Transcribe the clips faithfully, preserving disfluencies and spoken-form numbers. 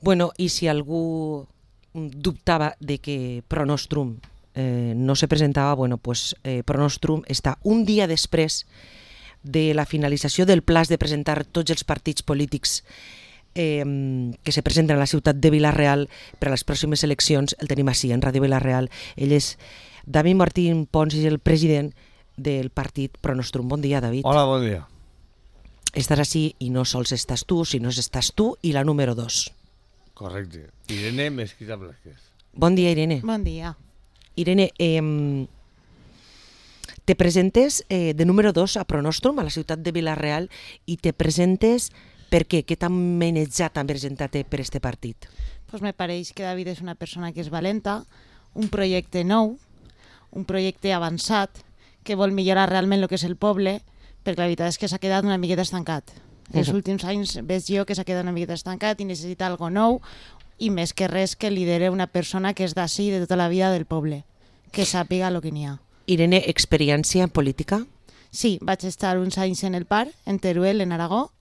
Bueno, i si algú dubtava de que Pronostrum eh, no se presentava, bueno, pues eh, Pronostrum està un dia després de la finalització del pla de presentar tots els partits polítics eh, que se presenten a la ciutat de Vila-real per a les pròximes eleccions. El tenim així, en Ràdio Vila-real. Ell és David Martín Pons, és el president del partit Pronostrum. Bon dia, David. Hola, bon dia. Estàs així i no sols estàs tu, sinó estàs tu i la número dos. Correcte. Irene Mesquita Blázquez. Bon dia, Irene. Bon dia. Irene, eh, te presentes eh, de número dos a Pronostrum, a la ciutat de Vila-real, i te presentes per què? Què t'han manejat a presentar-te per este partit? Pues me pareix que David és una persona que és valenta, un projecte nou, un projecte avançat, que vol millorar realment el que és el poble, perquè la veritat és que s'ha quedat una miqueta estancat. Els Uh-huh. últims anys veig jo que s'ha quedat una miqueta estancat i necessita algo nou, i més que res que lidere una persona que és d'ací, de tota la vida del poble, que sàpiga el que n'hi ha. Irene, experiència en política? Sí, vaig estar uns anys en el P A R, en Teruel, en Aragó,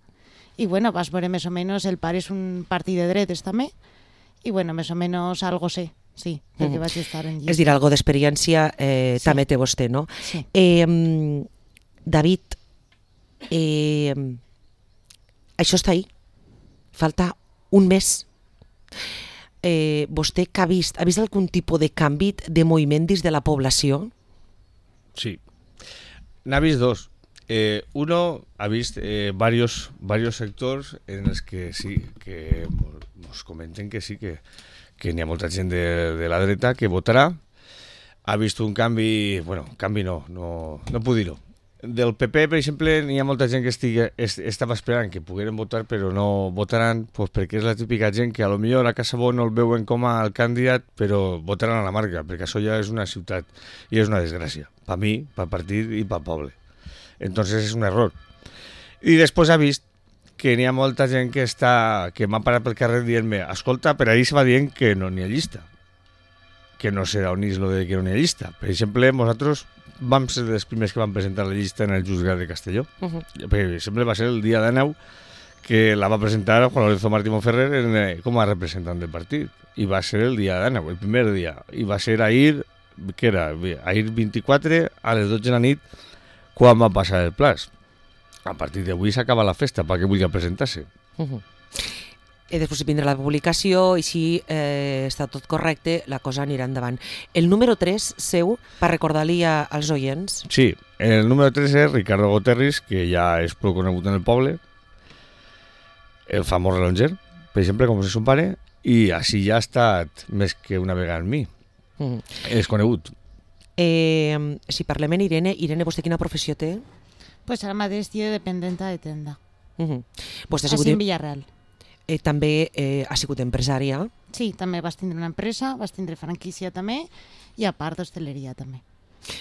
i bueno, vas veure més o menys, el P A R és un partit de dretes també, i bueno, més o menys algo sé, sí, perquè Mhm. vaig estar en És dir, algo d'experiència eh, Sí. també té vostè, no? Sí. Eh, David, eh, això està ahí. Falta un mes. Eh, vostè que ha vist, ha vist algun tipus de canvi de moviment dins de la població? Sí. N'ha vist dos. Eh, uno ha vist eh, varios, varios sectors en els que sí, que ens comenten que sí, que, que n'hi ha molta gent de, de la dreta que votarà. Ha vist un canvi, bueno, canvi no, no, no puc dir-ho. Del P P, per exemple, n'hi ha molta gent que estigui, est, estava esperant que pogueren votar, però no votaran pues, perquè és la típica gent que a lo millor a Casabó no el veuen com a candidat, però votaran a la marca, perquè això ja és una ciutat i és una desgràcia, per mi, pel partit i pel poble. Entonces és un error. I després ha vist que n'hi ha molta gent que està que m'ha parat pel carrer dient-me escolta, per ahí se va dient que no n'hi ha llista. Que no sé on és lo de que no n'hi ha llista. Per exemple, nosaltres vam ser dels primers que vam presentar la llista en el Juzgat de Castelló. Uh-huh. Perquè sempre va ser el dia de neu que la va presentar Juan Lorenzo Martí Monferrer en, eh, com a representant del partit. I va ser el dia de neu, el primer dia. I va ser ahir, que era? Ahir vint-i-quatre a les dotze de la nit quan va passar el plaç. A partir d'avui s'acaba la festa perquè vulgui presentar-se. Uh-huh. I després vindrà la publicació i si eh, està tot correcte, la cosa anirà endavant. El número tres seu, per recordar-li a- als oients. Sí, el número tres és Ricardo Goterris, que ja és prou conegut en el poble, el famós relonger, per exemple, com és son pare, i així ja ha estat més que una vegada amb mi. Uh-huh. És conegut. Eh, si parlem en Irene, Irene, vostè quina professió té? Pues ara mateix estic de dependenta de tenda, Uh-huh. Vostè ha sigut, així en Villarreal. eh, també eh, ha sigut empresària. Sí, també vas tindre una empresa, vas tindre franquícia també, i a part d'hostaleria també.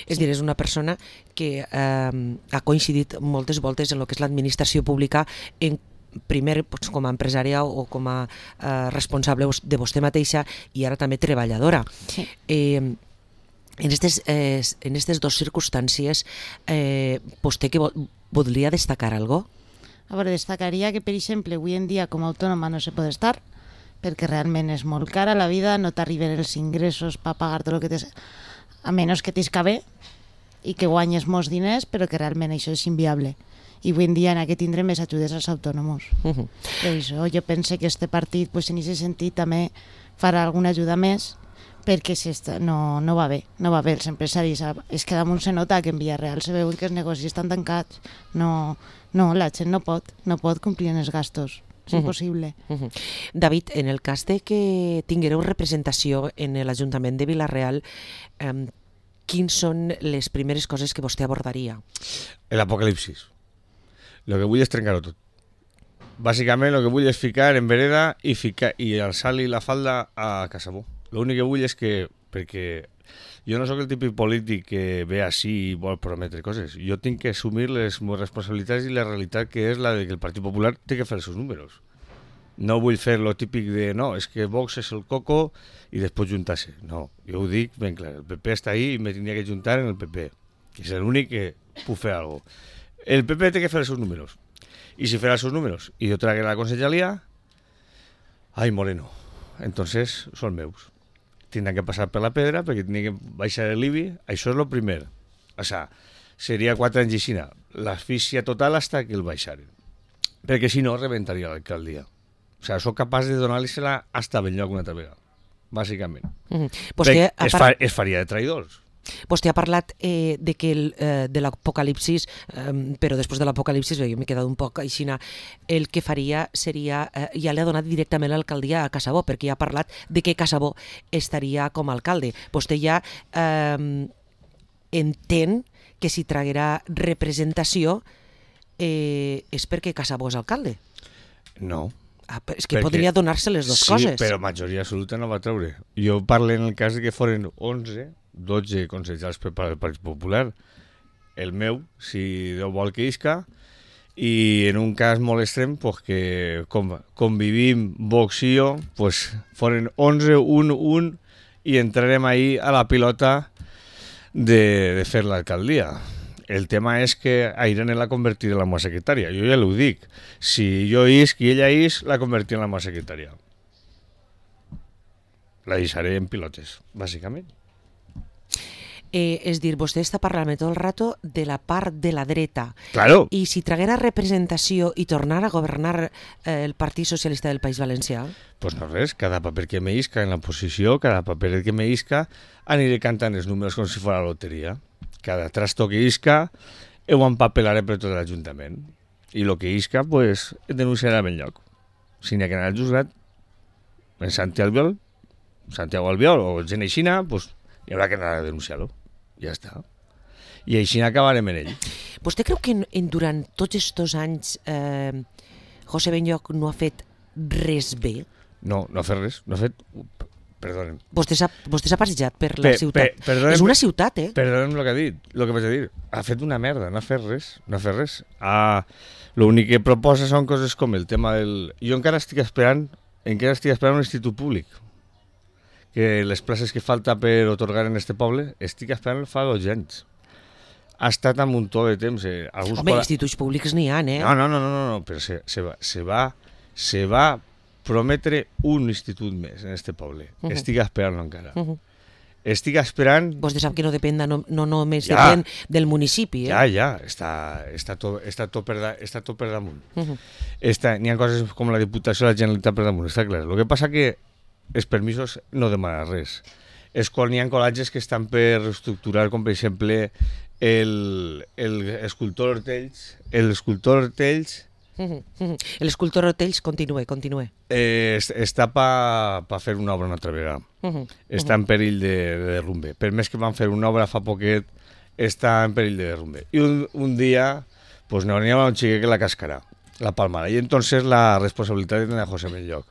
És dir, és una persona que eh, ha coincidit moltes voltes en el que és l'administració pública, en primer doncs, com a empresària o com a eh, responsable de vostè mateixa i ara també treballadora. Sí. Eh, en aquestes eh, en aquestes dues circumstàncies, eh, vostè que vo voldria destacar algo? A veure, destacaria que, per exemple, avui en dia com a autònoma no se pot estar, perquè realment és molt cara la vida, no t'arriben els ingressos per pagar-te el que tens, a menys que t'isca bé i que guanyes molts diners, però que realment això és inviable. I avui en dia en aquest tindre més ajudes als autònoms. Uh -huh. Per això jo pense que este partit, pues, en aquest sentit, també farà alguna ajuda més, perquè s'està- no, no va bé, no va bé els empresaris. És que damunt se nota que en Villarreal se veuen que els negocis estan tancats. No, no, la gent no pot, no pot complir en els gastos. És Mhm. impossible. Uh -huh. David, en el cas de que tinguereu representació en l'Ajuntament de Vila-real, eh, quins són les primeres coses que vostè abordaria? L'apocalipsis. Lo que vull és trencar-ho tot. Bàsicament, el que vull és ficar en vereda i, ficar, i alçar-li la falda a Casabó. L'únic que vull és que, perquè jo no sóc el típic polític que ve així i vol prometre coses. Jo tinc que assumir les meves responsabilitats i la realitat que és la de que el Partit Popular té que fer els seus números. No vull fer lo típic de, no, és que Vox és el coco i després juntar-se. No, jo ho dic ben clar, el P P està ahí i me tindria que juntar en el P P, que és l'únic que puc fer alguna cosa. El P P té que fer els seus números. I si farà els seus números i jo tragué la conselleria, Ai, Moreno. Entonces són meus. Tindran que passar per la pedra perquè tindran que baixar l'I B I. Això és el primer. O sea, seria quatre anys així, l'asfíxia total hasta que el baixaren. Perquè si no, rebentaria l'alcaldia. O sea, soc capaç de donar-li-se-la hasta Benlloc una altra vegada, bàsicament. Mm -hmm. pues que, es, fa, es faria de traïdors. Vostè ha parlat eh, de, que el, eh, de l'apocalipsis, eh, però després de l'apocalipsis, jo m'he quedat un poc aixina, el que faria seria, eh, ja li ha donat directament l'alcaldia a Casabó, perquè ja ha parlat de que Casabó estaria com a alcalde. Vostè ja eh, entén que si traguerà representació eh, és perquè Casabó és alcalde. No. Ah, és que perquè, podria donar-se les dues sí, coses. Sí, però majoria absoluta no va treure. Jo parlo en el cas de que foren onze, dotze consellers per part del Partit Popular. El meu, si Déu vol que isca, i en un cas molt extrem, pues que com, convivim Vox i jo, pues foren onze, un, un, i entrarem ahí a la pilota de, de fer l'alcaldia. El tema és que a Irene la convertiré en la meva secretària. Jo ja l'ho dic. Si jo isc i ella isc, la convertiré en la meva secretària. La deixaré en pilotes, bàsicament. Eh, és dir, vostè està parlant tot el rato de la part de la dreta. Claro. I si traguera representació i tornara a governar eh, el Partit Socialista del País Valencià? Pues no res, cada paper que me isca en la posició, cada paper que me isca, aniré cantant els números com si fos la loteria. Cada trasto que isca, ho empapelaré per tot l'Ajuntament. I el que isca, pues, denunciarà a Benlloc. Si n'hi ha que anar al juzgat, en Santiago Albiol, Santiago Albiol o gent aixina, pues, hi haurà que anar a denunciar-lo. Ja està. I així acabarem en ell. Vostè creu que en, en durant tots aquests anys eh, José Benlloc no ha fet res bé? No, no ha fet res. No ha fet... Perdóna'm. Vostè s'ha, vostè s'ha passejat per la Pe, ciutat. Pe, és una ciutat, eh? Perdóna'm el que ha dit, el que vaig a dir. Ha fet una merda, no ha fet res. No ha fet res. Ah, l'únic que proposa són coses com el tema del... Jo encara estic esperant, encara estic esperant un institut públic. Que les places que falta per otorgar en este poble, estic esperant fa dos anys. Ha estat un muntó de temps. Eh. Alguns Home, cola... instituts públics n'hi ha, eh? No, no, no, no, no, no. però se, se, va, se, va, se va prometre un institut més en este poble. Uh -huh. Estic esperant encara. Uh -huh. Estic esperant... Vostè sap que no depèn, de, no, no només ja, depèn del municipi, eh? Ja, ja, està, està, tot, està, tot, per da, està tot per damunt. Uh -huh. Està, n'hi ha coses com la Diputació de la Generalitat per damunt, està clar. El que passa que els permisos no demanen res. És quan hi ha col·legis que estan per reestructurar, com per exemple l'escultor Hortells, l'escultor Hortells l'escultor Hortells, continue, continue. Eh, està per pa fer una obra una altra vegada. Uh -huh. Està en perill de, de derrumbe. Per més que van fer una obra fa poquet, està en perill de derrumbe. I un, un dia, pues n'hi haurà un xiquet que la cascarà, la palmarà. I entonces la responsabilitat de José Benlloc.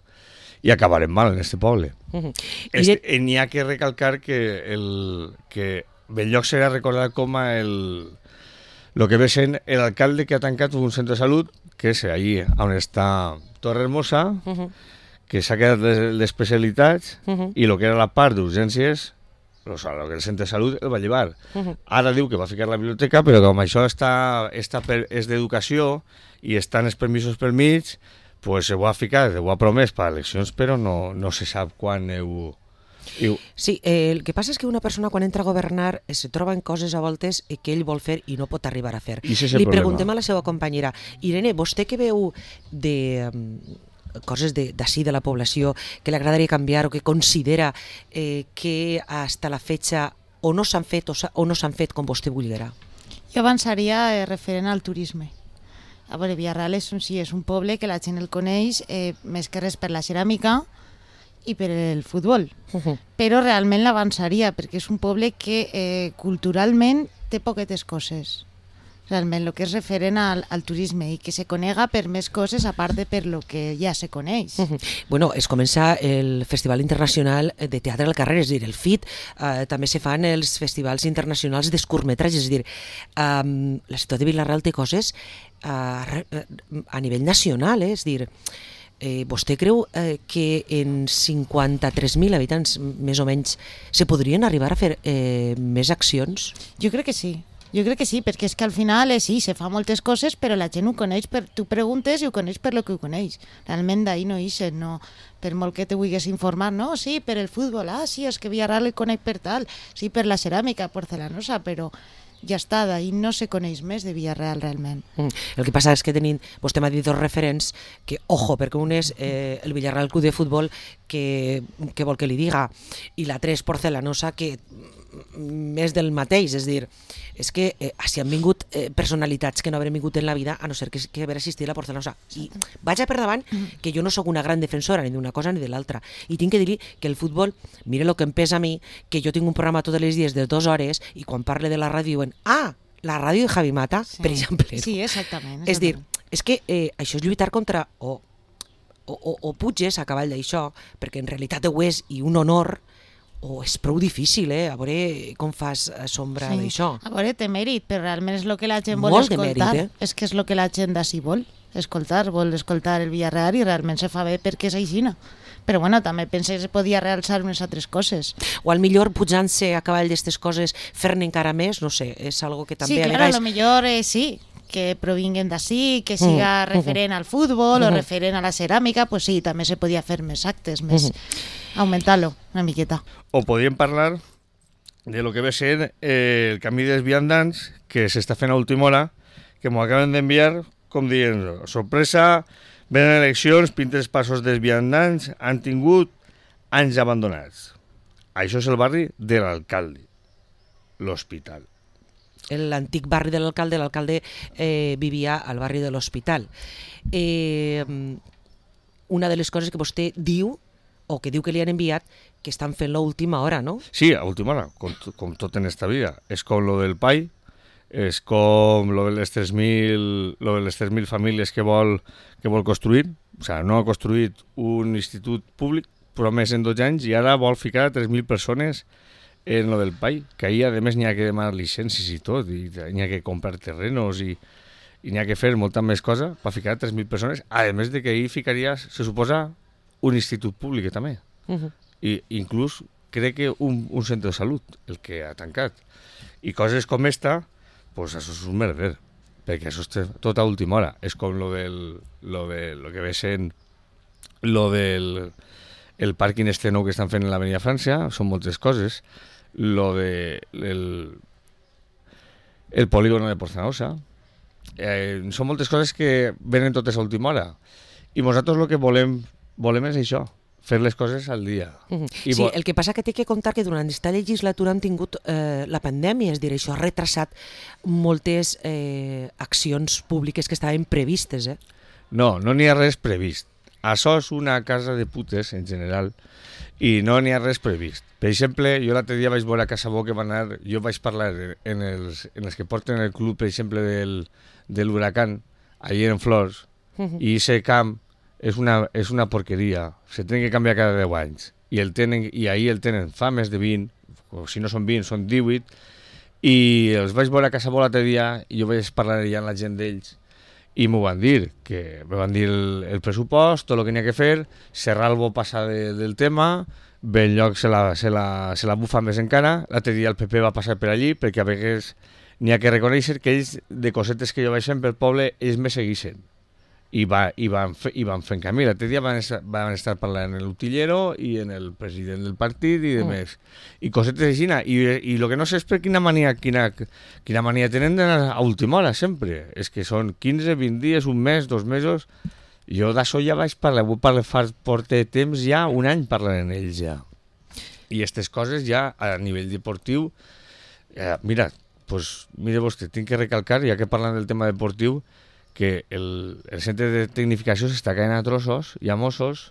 I acabarem mal en este poble. Uh -huh. este, de... N'hi ha que recalcar que, el, que Benlloc serà recordat com a el, lo que ve sent l'alcalde que ha tancat un centre de salut, que és allí on està Torre Hermosa, uh -huh. que s'ha quedat d'especialitats, uh -huh. i el que era la part d'urgències, o sigui, el que el centre de salut el va llevar. Uh -huh. Ara diu que va ficar la biblioteca, però com això està, està per, és d'educació i estan els permisos per mig, pues se ho ha ficat, ho ha promès per eleccions, però no, no se sap quan ho... Ho... Sí, eh, el que passa és que una persona quan entra a governar eh, se troba en coses a voltes eh, que ell vol fer i no pot arribar a fer. Li problema. Preguntem a la seva companyera, Irene, vostè que veu de um, coses d'ací de, de la població que li agradaria canviar o que considera eh, que hasta la fetge o no s'han fet o, o no s'han fet com vostè volguera? Jo avançaria eh, referent al turisme. A veure, Villarreal és un, sí, és un poble que la gent el coneix eh, més que res per la ceràmica i per el futbol, uh -huh. però realment l'avançaria perquè és un poble que eh, culturalment té poquetes coses, realment el que és referent al, al turisme i que se conega per més coses a part de per lo que ja se coneix. Uh -huh. Bueno, es comença el Festival Internacional de Teatre al Carrer, és dir, el F I T, eh, també se fan els festivals internacionals d'escurtmetratges, és dir, eh, la ciutat de Villarreal té coses eh, a nivell nacional, eh? És dir, Eh, vostè creu eh, que en cinquanta-tres mil habitants, més o menys, se podrien arribar a fer eh, més accions? Jo crec que sí. Jo crec que sí, perquè és que al final eh, sí, se fa moltes coses, però la gent ho coneix, per, tu preguntes i ho coneix per lo que ho coneix. Realment d'ahir no ixen, no, per molt que te vulguis informar, no, sí, per el futbol, ah, sí, és que Villarreal el coneix per tal, sí, per la ceràmica porcelanosa, però ja està, d'ahir no se coneix més de Villarreal realment. Mm. El que passa és que tenim, vostè m'ha dit dos referents que, ojo, perquè un és eh, el Villarreal Club de Futbol, que, que vol que li diga, i l'altre és Porcelanosa, que més del mateix, és dir, és que eh, si han vingut eh, personalitats que no haurem vingut en la vida, a no ser que, que haver assistit a la Porcelanosa. I vaig a per davant que jo no sóc una gran defensora ni d'una cosa ni de l'altra, i tinc que dir que el futbol, mire el que em pesa a mi, que jo tinc un programa tots els dies de dues hores i quan parle de la ràdio diuen, ah, la ràdio de Javi Mata, sí. Per exemple. Sí, exactament. exactament. És dir, és que eh, això és lluitar contra o, o, o, o puges a cavall d'això, perquè en realitat ho és i un honor, o és prou difícil, eh? A veure com fas sombra sí. d'això. A veure, té mèrit, però realment és el que la gent vol Molt escoltar. Mèrit, eh? És que és el que la gent d'ací vol escoltar, vol escoltar el Villarreal i realment se fa bé perquè és aixina. Però bueno, també pensa que se podia realçar unes altres coses. O al millor pujant-se a cavall d'aquestes coses, fer-ne encara més, no sé, és algo que també sí, a clar, vegades... a lo millor eh, sí, que provinguen d'ací, que siga mm. referent al futbol mm. o referent a la ceràmica, pues sí, també se podia fer més actes, més mm. augmentar-lo una miqueta. O podríem parlar de lo que ve ser eh, el camí dels viandants que s'està fent a última hora, que m'ho acaben d'enviar, com dient, sorpresa, venen eleccions, pintes passos dels viandants, han tingut anys abandonats. Això és el barri de l'alcalde, l'hospital. L'antic barri de l'alcalde, l'alcalde eh, vivia al barri de l'Hospital. Eh, una de les coses que vostè diu, o que diu que li han enviat, que estan fent l'última hora, no? Sí, a última hora, com, com tot en esta vida. És com lo del P A I, és com lo de les tres mil lo de les tres mil famílies que vol, que vol construir. O sigui, no ha construït un institut públic promès en dotze anys i ara vol ficar tres mil persones en lo del P A I, que ahir a més n'hi ha que demanar llicències i tot, i n'hi ha que comprar terrenos i, i n'hi ha que fer molta més cosa per ficar tres mil persones, a més de que ahir ficaria, se suposa, un institut públic també. Uh-huh. I inclús crec que un, un centre de salut, el que ha tancat. I coses com esta, pues això és un merder, perquè això és tot a última hora. És com lo del lo de lo que ve sent lo del el pàrquing este nou que estan fent en l'Avenida França, són moltes coses. Lo de el, el polígono de Porcelanosa, eh, són moltes coses que venen totes a última hora. I nosaltres el que volem volem és això, fer les coses al dia. Uh-huh. I sí, el que passa que té que comptar que durant aquesta legislatura han tingut eh, la pandèmia, és dir, això ha retrasat moltes eh, accions públiques que estaven previstes, eh? No, no n'hi ha res previst. Això és una casa de putes, en general, i no n'hi ha res previst. Per exemple, jo l'altre dia vaig veure a Casa Bo que va anar, jo vaig parlar en els, en els que porten el club, per exemple, del, de l'Huracán, allà en Flors, uh-huh. i aquest camp és una, és una porqueria, se tenen que canviar cada deu anys, i, el tenen, i ahir el tenen fa més de vint, o si no són vint, són divuit, i els vaig veure a Casa Bo l'altre dia, i jo vaig parlar ja amb la gent d'ells, i m'ho van dir, que me van dir el, el pressupost, tot el que n'hi ha que fer, Serralbo passa de, del tema, Benlloc se la, se, la, se la bufa més encara, l'altre dia el P P va passar per allí, perquè a vegades n'hi ha que reconèixer que ells, de cosetes que jo vaig fent pel poble, ells me segueixen. I, va, i, van, fe, i van fent camí. L'altre dia van estar, van estar parlant en l'utillero i en el president del partit i de mm. més. I cosetes així. I, i el que no sé és per quina mania, quina, quina mania tenen d'anar a última hora, sempre. És que són quinze, vint dies, un mes, dos mesos. Jo d'això ja vaig parlar, vull parlar fa porta temps ja, un any parlant en ells ja. I aquestes coses ja a nivell deportiu, eh, mira, pues, mire vostè, tinc que recalcar, ja que parlant del tema deportiu, que el, el centre de tecnificació s'està caient a trossos i a Mossos.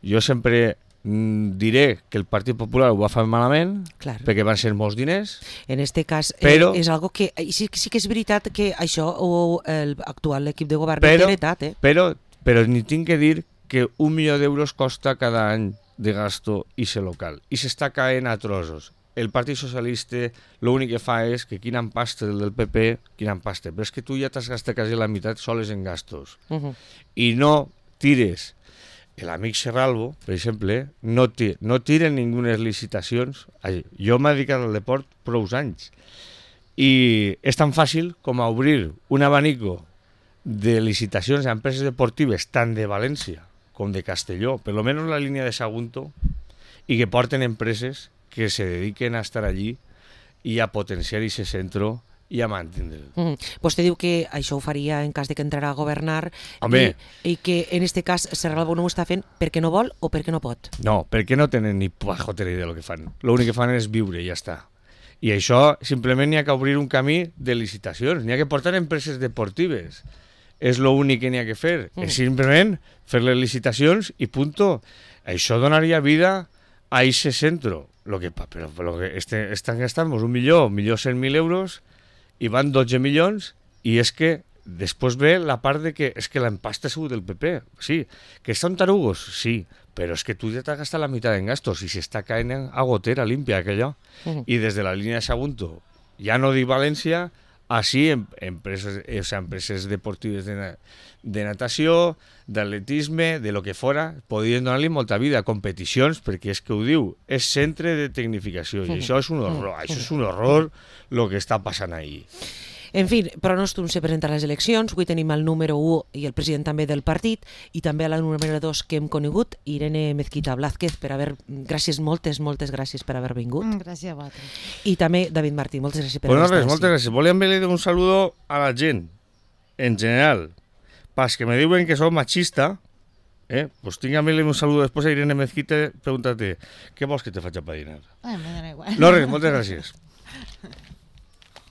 Jo sempre mm, diré que el Partit Popular ho va fer malament, clar, perquè van ser molts diners. En este cas però, eh, és algo que sí, sí que és veritat que això o l'actual equip de govern però, no té heretat, eh? Però, però ni tinc que dir que un milió d'euros costa cada any de gasto i ser local. I s'està caient a trossos. El Partit Socialista l'únic que fa és que quina empasta del P P, quina empasta, però és que tu ja t'has gastat quasi la meitat soles en gastos. Uh-huh. I no tires, l'amic Serralbo, per exemple, no, no tiren ningunes licitacions. Jo m'he dedicat al deport prou anys i és tan fàcil com a obrir un abanico de licitacions a empreses deportives tant de València com de Castelló, per lo menos la línia de Sagunto, i que porten empreses que se dediquen a estar allí i a potenciar aquest centre i a mantenir-lo. Mm. Vostè diu que això ho faria en cas de que entrarà a governar Home. i, i que en este cas Serra Albo no ho està fent perquè no vol o perquè no pot. No, perquè no tenen ni pajotera idea del que fan. L'únic que fan és viure i ja està. I això simplement n'hi ha que obrir un camí de licitacions, n'hi ha que portar empreses deportives. És l'únic que n'hi ha que fer. Mm. És simplement fer les licitacions i punto. Això donaria vida a aquest centre. Lo que, però, però que este, estan gastant un milió, un milió cent mil euros i van dotze milions i és que després ve la part de que és que l'empasta ha sigut del P P. Sí, que són tarugos, sí, però és que tu ja t'has gastat la meitat en gastos i s'està caent a gotera límpia aquello. Mm. I des de la línia de Sagunto, ja no dic València, així em, empreses, o sea, empreses deportives de, na, de natació, d'atletisme, de lo que fora, podien donar-li molta vida, competicions, perquè és que ho diu, és centre de tecnificació, i això és un horror, això és un horror el que està passant ahí. En fi, Pronostrum se presenta a les eleccions, avui tenim el número u i el president també del partit, i també a la número dos que hem conegut, Irene Mezquita Blázquez, per haver... Gràcies, moltes, moltes gràcies per haver vingut. Mm, gràcies a vosaltres. I també David Martí, moltes gràcies per bueno, haver estat res, moltes gràcies. Volia enviar un saludo a la gent, en general, pas que me diuen que soc machista, eh? Pues tinc a enviar un saludo després a Irene Mezquita, preguntar-te, què vols que te faig a dinar? Ai, me dona igual. No, res, moltes gràcies.